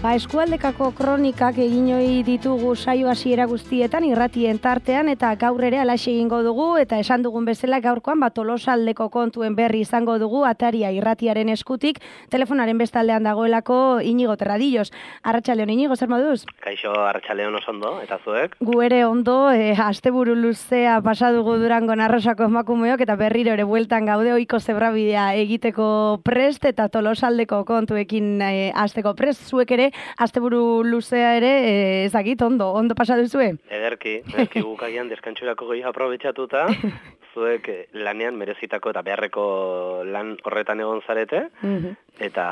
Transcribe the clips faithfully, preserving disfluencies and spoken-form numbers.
Ba, eskualdekako kronikak egin ohi ditugu saio hasiera guztietan irratien tartean eta gaur ere alaxe egingo dugu eta esan dugun bezala gaurkoan ba Tolosaldeko kontuen berri izango dugu Ataria irratiaren eskutik telefonaren bestaldean dagoelako Iñigo Terradillos. Arratsaldeon Iñigo, zer moduz? Kaixo, arratsaldeon oso ondo, eta zuek? Gu ere ondo, e, asteburu luzea pasa dugu Durangon Arrosako emakumeok eta berriro ere bueltan gaude ohiko zebrabidea egiteko prest eta Tolosaldeko kontuekin e, hasteko prest. Zuek ere asteburu luzea ere e, ezagit ondo, ondo pasa duzue? Ederki, ederki gukagian deskantsurako goi aprobetxatuta, zuek lanean merezitako eta beharreko lan horretan egon zarete, mm-hmm. eta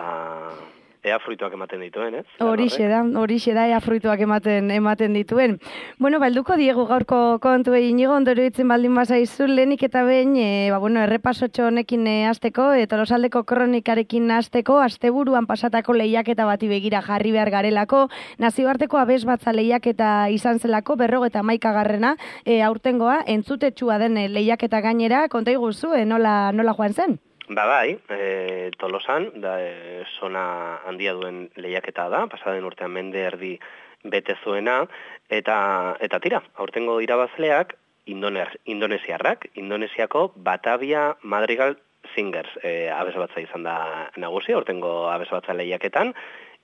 ea fruituak ematen dituen, ez? Horixe da, horixe da, ea fruituak ematen ematen dituen. Bueno, balduko diegu gaurko kontu egin Iñigo, ondoro itzen baldin bazaizu, lehenik eta behin, e, ba, bueno, errepasotxo honekin e, azteko, e, Tolosaldeko kronikarekin azteko, asteburuan pasatako lehiaketa bati begira jarri behar garelako, nazioarteko abesbatza lehiaketa izan zelako, berrogeta hamaikagarrena, e, aurtengoa, entzutetsua den lehiaketa gainera, konta iguzu, e, nola, nola joan zen? Ba bai, e, Tolosan, da, e, sona handia duen lehiaketa da, pasaden urtean mende erdi bete zuena, eta, eta tira, aurtengo irabazleak Indoner, indonesiarrak, Indonesiako Batavia Madrigal Singers e, abesbatza izan da nagusi, aurtengo abesbatza lehiaketan,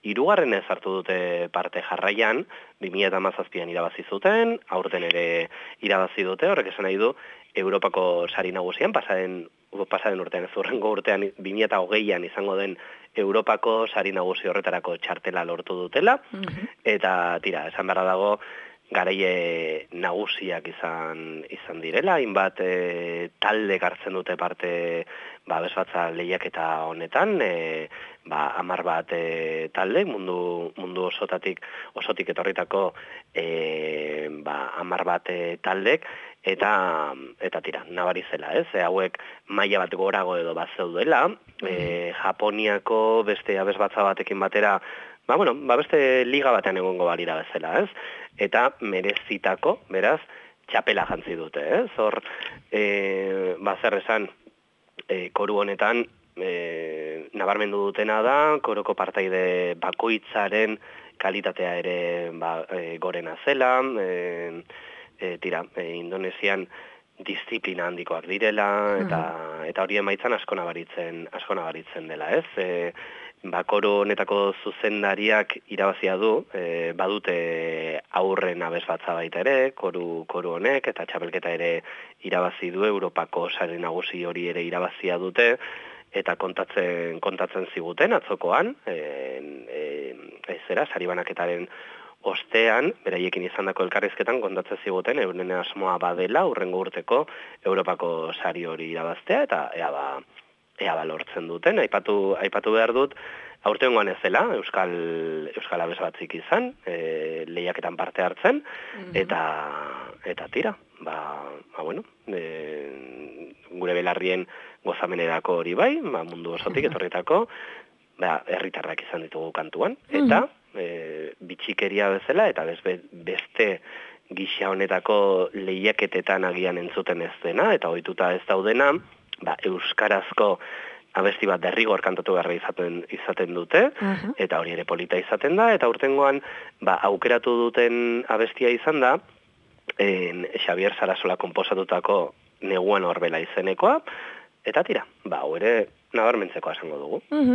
hirugarren ez hartu dute parte jarraian, bi mila hamazazpian irabazi zuten, aurten ere irabazi dute, horrek esan nahi du, Europako sari nagusian, pasaden pasaden urtean, ez urrengo urtean bi mila hogeian izango den Europako sari nagusi horretarako txartela lortu dutela, mm-hmm. eta tira, esan beharra dago, garaie nagusiak izan izan direla, hainbat e, talde hartzen dute parte ba, abesbatza lehiaketa honetan, e, ba, hamar bat e, talde, mundu, mundu osotatik, osotik etorritako e, ba, hamar bat e, taldek, eta eta tira, nabari zela, ez? E, hauek maila bat gorago edo bat zeudela, e, Japoniako beste abesbatza batekin batera, ba, bueno, ba, beste liga batean egongo balira bezala, ez? Eta merezitako, beraz, txapela jantzi dute, ez? Hor, e, ba, zer esan, e, koru honetan, e, nabarmendu dutena da, koroko partaide bakoitzaren kalitatea ere ba, e, gorena zela, e, e, tira, e, Indonesian disiplina handikoak direla, eta, uh-huh. eta hori emaitzan asko nabaritzen, asko nabaritzen dela, ez? E, ba, koro honetako zuzendariak irabazia du, e, badute aurren abesbatza baita ere, koru, koru honek, eta txapelketa ere irabazi du, Europako sari nagusi hori ere irabazia dute, eta kontatzen, kontatzen ziguten atzokoan, e, e, ez zera, sari banaketaren ostean, beraiekin izandako elkarrizketan kontatzen ziguten, euren asmoa badela, urrengo urteko Europako sari hori irabaztea, eta ea ba, ea ba lortzen duten, aipatu, aipatu behar dut, aurtengoan ez dela, Euskal, Euskal abesbatzik izan, e, lehiaketan parte hartzen, mm-hmm. eta, eta tira, ba, ba bueno, e, gure belarrien gozamenerako hori bai, ba, mundu osotik etorritako, ba, herritarrak izan ditugu kantuan, eta, mm-hmm. E, bitxikeria bezala, eta beste gisa honetako lehiaketetan agian entzuten ez dena, eta ohituta ez daudena, ba, euskarazko abesti bat derrigor kantatu garra izaten, izaten dute, uh-huh. eta hori ere polita izaten da, eta urtengoan ba, aukeratu duten abestia izan da, en, Xavier Sarasola konposatutako Neguan Horbela izenekoa, eta tira, ba, hau ere nabarmentzeko esango dugu. Uh-huh.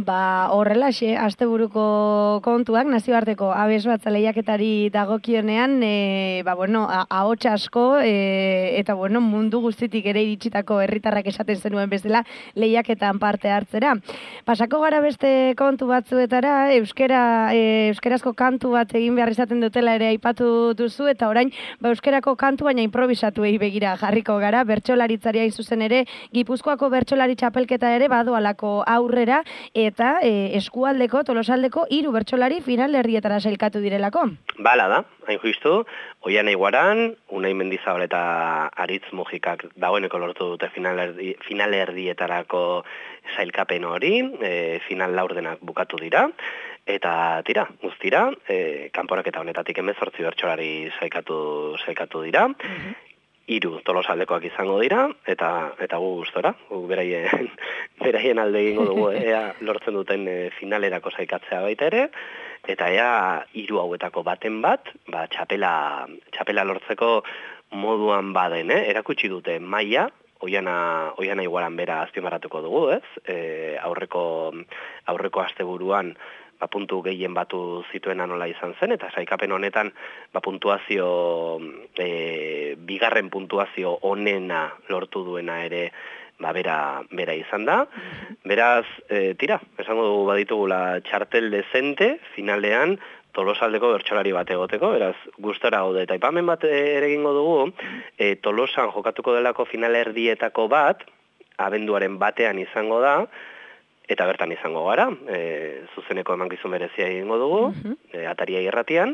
Ba, horrelaxe, asteburuko kontuak, nazioarteko abesbatza lehiaketari dagokionean, e, ba, bueno, ahots asko, e, eta, bueno, mundu guztitik ere iritsitako herritarrak esaten zenuen bezala lehiaketan parte hartzera. Pasako gara beste kontu batzuetara, euskera, e, euskerazko kantu bat egin behar izaten dutela ere aipatu duzu, eta orain, ba, euskerako kantu baina improvisatuei begira jarriko gara, bertsolaritzari hain zuzen ere, Gipuzkoako bertsolari txapelketa ere badoalako aurrera eta e, eskualdeko, Tolosaldeko hiru bertsolari finalerdietara sailkatu direlako. Bala da, hain justu, Oian Eiguaran, Unai Mendizabal eta Aritz Mujikak dagoeneko lortu dute finalerdi, finalerdietarako sailkapen hori, e, final laurdenak bukatu dira, eta tira, guztira, e, kanporaketa honetatik hemezortzi bertsolari sailkatu, sailkatu dira, mm-hmm. hiru tolosaldekoak izango dira, eta eta gu gustora, gu beraien, beraien alde egingo dugu, ea lortzen duten e, finalerako saikatzea baita ere, eta ea hiru hauetako baten bat, ba, txapela, txapela lortzeko moduan baden, eh? Erakutsi dute maila, oiana, oiana igualan bera azpimarratuko dugu, ez? E, aurreko, aurreko asteburuan, ba, puntu gehien batu zituena nola izan zen, eta saikapen honetan ba, puntuazio, e, bigarren puntuazio onena lortu duena ere ba, bera, bera izan da. Beraz, e, tira, esango dugu baditugula txartel dezente, finalean, Tolosaldeko bertsolari bat egoteko, beraz, gustora gaude. Eta aipamen bat ere egingo dugu, e, Tolosan jokatuko delako finalerdietako bat, abenduaren batean izango da, eta bertan izango gara, e, zuzeneko emankizun berezia egingo dugu, uh-huh. e, Ataria irratian,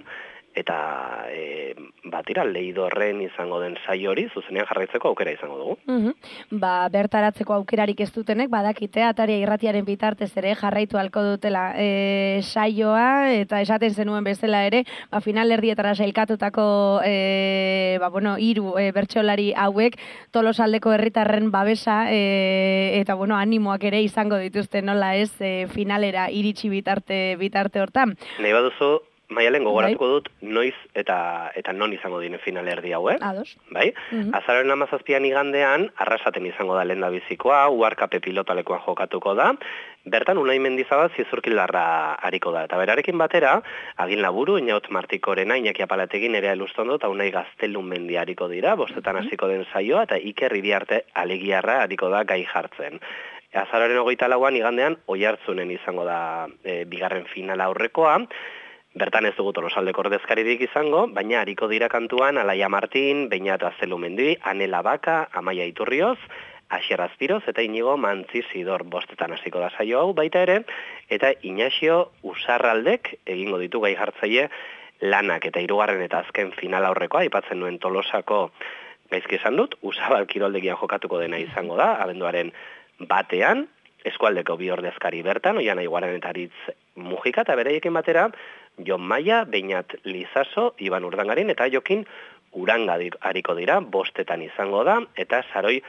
eta e, batira Leidorren izango den saio hori zuzenean jarraitzeko aukera izango dugu. Uh-huh. Ba, bertaratzeko aukerarik ez dutenek, badakite Ataria irratiaren bitartez ere jarraitu halko dutela e, saioa, eta esaten zenuen bezala ere, ba, finalerdietara sailkatutako e, ba, bueno, hiru e, bertsolari hauek Tolosaldeko herritarren babesa e, eta bueno, animoak ere izango dituzte nola ez e, finalera iritsi bitarte bitarte hortan. Nahi baduzu, Maialen gogoratuko dut noiz eta eta non izango diren finalerdi hau, eh? Ados. Bai? Uh-huh. Azaroaren hamazazpian igandean, Arrasaten izango da lehendabizikoa, Uharkape pilotalekuan jokatuko da, bertan Unai Mendizabal Zizurkilarra hariko da. Eta berarekin batera, Agin Laburu, Inaut Martikorena, Iñaki Apalategin, Nerea Elustondo, eta Unai Gaztelun Mendi hariko dira, bostetan hasiko den saioa, eta Iker Iriarte Alegiarra hariko da gai jartzen. Azaroaren hogeita lauan igandean, Oiartzunen izango da e, bigarren finala aurrekoa. Bertan ez dugu Tolosaldeko ordezkaririk izango, baina hariko dira kantuan Alaia Martin, Beñat Aztelumendi, Anela Baka, Amaia Iturrioz, Asier Azpiroz eta Inigo Mantzizidor bostetan hasiko da saio hau baita ere, eta Inaxio Usarraldek egingo ditu gai jartzaile lanak eta hirugarren eta azken final aurrekoa, aipatzen nuen Tolosako gaizki esan dut, Usabal kiroldegian jokatuko dena izango da, abenduaren batean, eskualdeko bi ordezkari bertan, Oiana Iguaren eta Aritz Mujika, eta beraiekin batera, Jon Maia, Beñat Lizaso, Iban Urdangarin, eta Jokin Uranga hariko dira, bostetan izango da, eta Saroi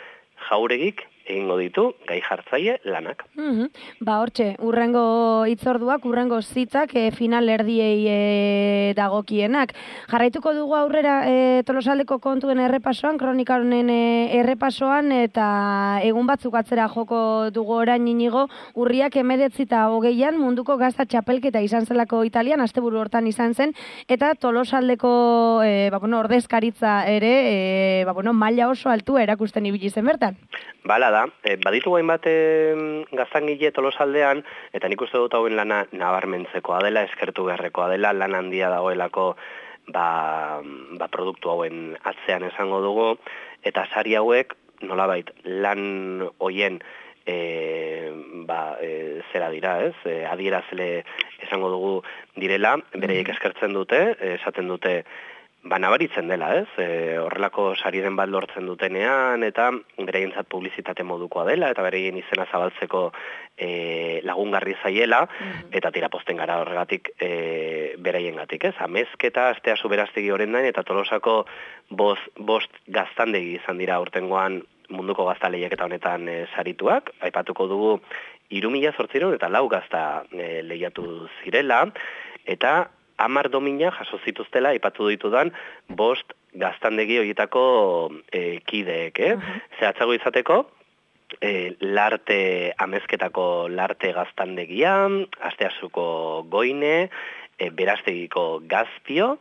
Jauregik egingo ditu gai jartzaile lanak. Mm-hmm. Ba, hortxe, urrengo hitzorduak, urrengo zitzak e, final erdiei e, dagokienak. Jarraituko dugu aurrera e, Tolosaldeko kontuen errepasoan, kronikaronen e, errepasoan, eta egun batzuk atzera joko dugu orain Inigo, urriak emeretzi eta hogeian munduko gazta txapelketa izan zelako Italian, asteburu hortan izan zen, eta Tolosaldeko e, ba, bueno, ordezkaritza ere e, ba, bueno, maila oso altua erakusten ibili zen bertan. Bala da, e, baditu gain bat e, gaztangile Tolosaldean, eta nik uste dut hauen lana nabarmentzekoa dela, eskertu beharrekoa dela, lan handia dagoelako ba, ba produktu hauen atzean esango dugu, eta sari hauek nolabait lan hoien e, ba, e, zera dira, ez? E, adierazle esango dugu direla, bereiek eskertzen dute, esaten dute ba, nabaritzen dela, ez? E, horrelako sariren bat lortzen dutenean, eta bereientzat publizitate modukoa dela, eta bereien izena zabaltzeko e, lagungarri zaiela, mm-hmm. eta tira posten gara horregatik e, bereiengatik, ez? Amezketa, astea zuberaztegi horrendain, eta Tolosako bost, bost gaztandegi izan dira urtengoan munduko gazta lehiaketa honetan e, sarituak, aipatuko dugu hiru mila zortziehun eta lau gazta e, lehiatu zirela, eta hamar domina jaso zituztela aipatu ditudan bost gaztandegi horietako e, kideek, eh? Uh-huh. Zehatzago izateko, e, larte amezketako larte gaztandegia, Asteasuko Goine, e, Beraztegiko Gazpio,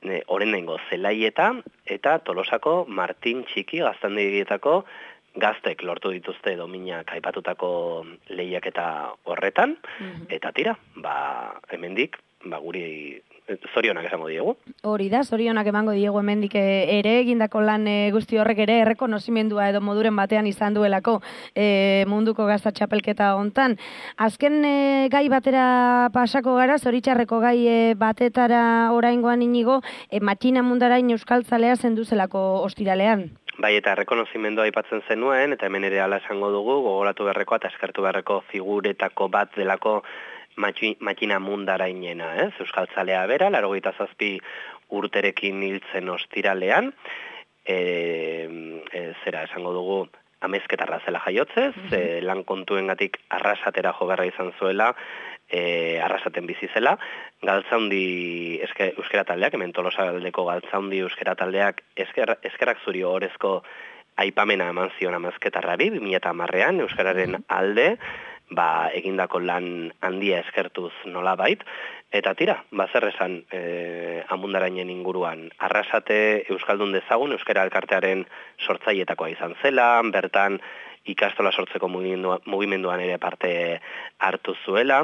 e, Orendaingo Zelaieta, eta Tolosako Martin Txiki gaztandegietako gaztek lortu dituzte dominak aipatutako lehiaketa horretan, uh-huh. eta tira, ba, hemendik, ba, guri zorionak esango diegu. Hori da, zorionak emango diegu hemendik ere, egindako lan e, guzti horrek ere errekonozimendua edo moduren batean izan duelako e, munduko gazta txapelketa hontan. Azken e, gai batera pasako gara, zoritxarreko gai e, batetara oraingoan Inigo, e, matxina mundarain euskaltzalea zenduzelako ostiralean. Bai, eta errekonozimendua aipatzen zenuen, eta hemen ere ala esango dugu, gogoratu beharreko eta eskertu beharreko figuretako bat delako matxina mundarainena, ez? Euskaltzalea bera, laurogeita zazpi urterekin hiltzen ostiralean, e, zera esango dugu amezketarra zela jaiotzez, mm -hmm. e, lan kontuengatik arrasatera jo beharra izan zuela, e, arrasaten bizi zela, galtzaundi eske, euskera taldeak, hemen Tolosaldeko galtzaundi euskera taldeak esker, eskerrak zuri orezko aipamena eman zion amezketarrari, bi mila hamarrean euskararen alde, ba, egindako lan handia eskertuz nolabait, eta tira, bazer esan e, amundarainen inguruan, arrasate euskaldun dezagun, euskara elkartearen sortzaietakoa izan zela, bertan ikastola sortzeko mugimendua, mugimenduan ere parte hartu zuela,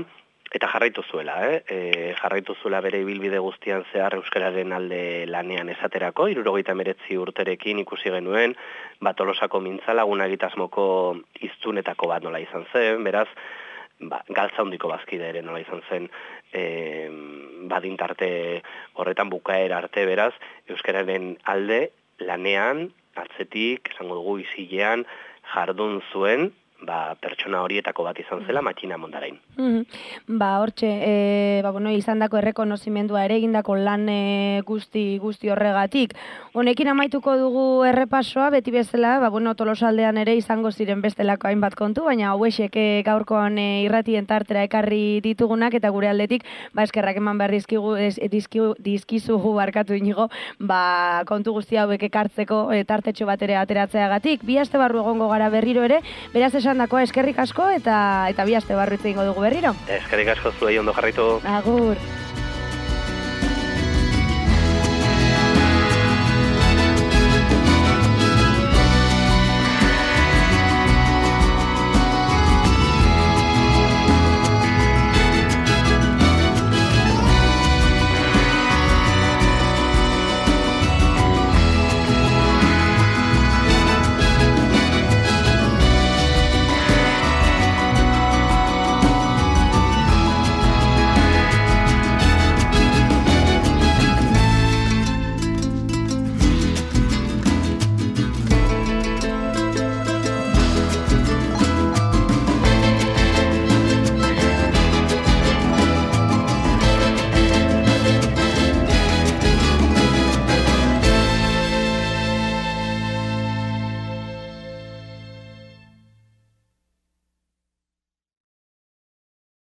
eta jarraitu zuela, eh? E, jarraitu zuela bere ibilbide guztian zehar euskararen alde lanean esaterako, hirurogeita hemeretzi urterekin ikusi genuen, ba, Tolosako mintzalagun egitasmoko hiztunetako bat nola izan zen, beraz, ba, galtza handiko bazkide ere nola izan zen, e, badintarte horretan bukaera arte, beraz, euskararen alde lanean, atzetik, esango dugu isilean, jardun zuen, ba, pertsona horietako bat izan zela Matxina Mondarain. Mm-hmm. Ba, hortxe, e, ba, bueno, izan dako errekonozimendua ere egindako lan e, guzti, guzti horregatik. Honekin amaituko dugu errepasoa, beti bezala, ba, bueno, Tolosaldean ere izango ziren bestelako hainbat kontu, baina hauexek e, gaurkoan e, irratien tartera ekarri ditugunak, eta gure aldetik, ba, eskerrak eman behar dizkigu, ez, dizkigu, dizkizugu barkatu inigo, ba, kontu guzti hauek ekartzeko e, tartetxo bat ere ateratzeagatik. Bi aste barru egongo gara berriro ere, beraz esan dakoa eskerrik asko eta eta bi aste barru itze egingo dugu berriro. Eskerrik asko zuei ondo jarraitu. Agur.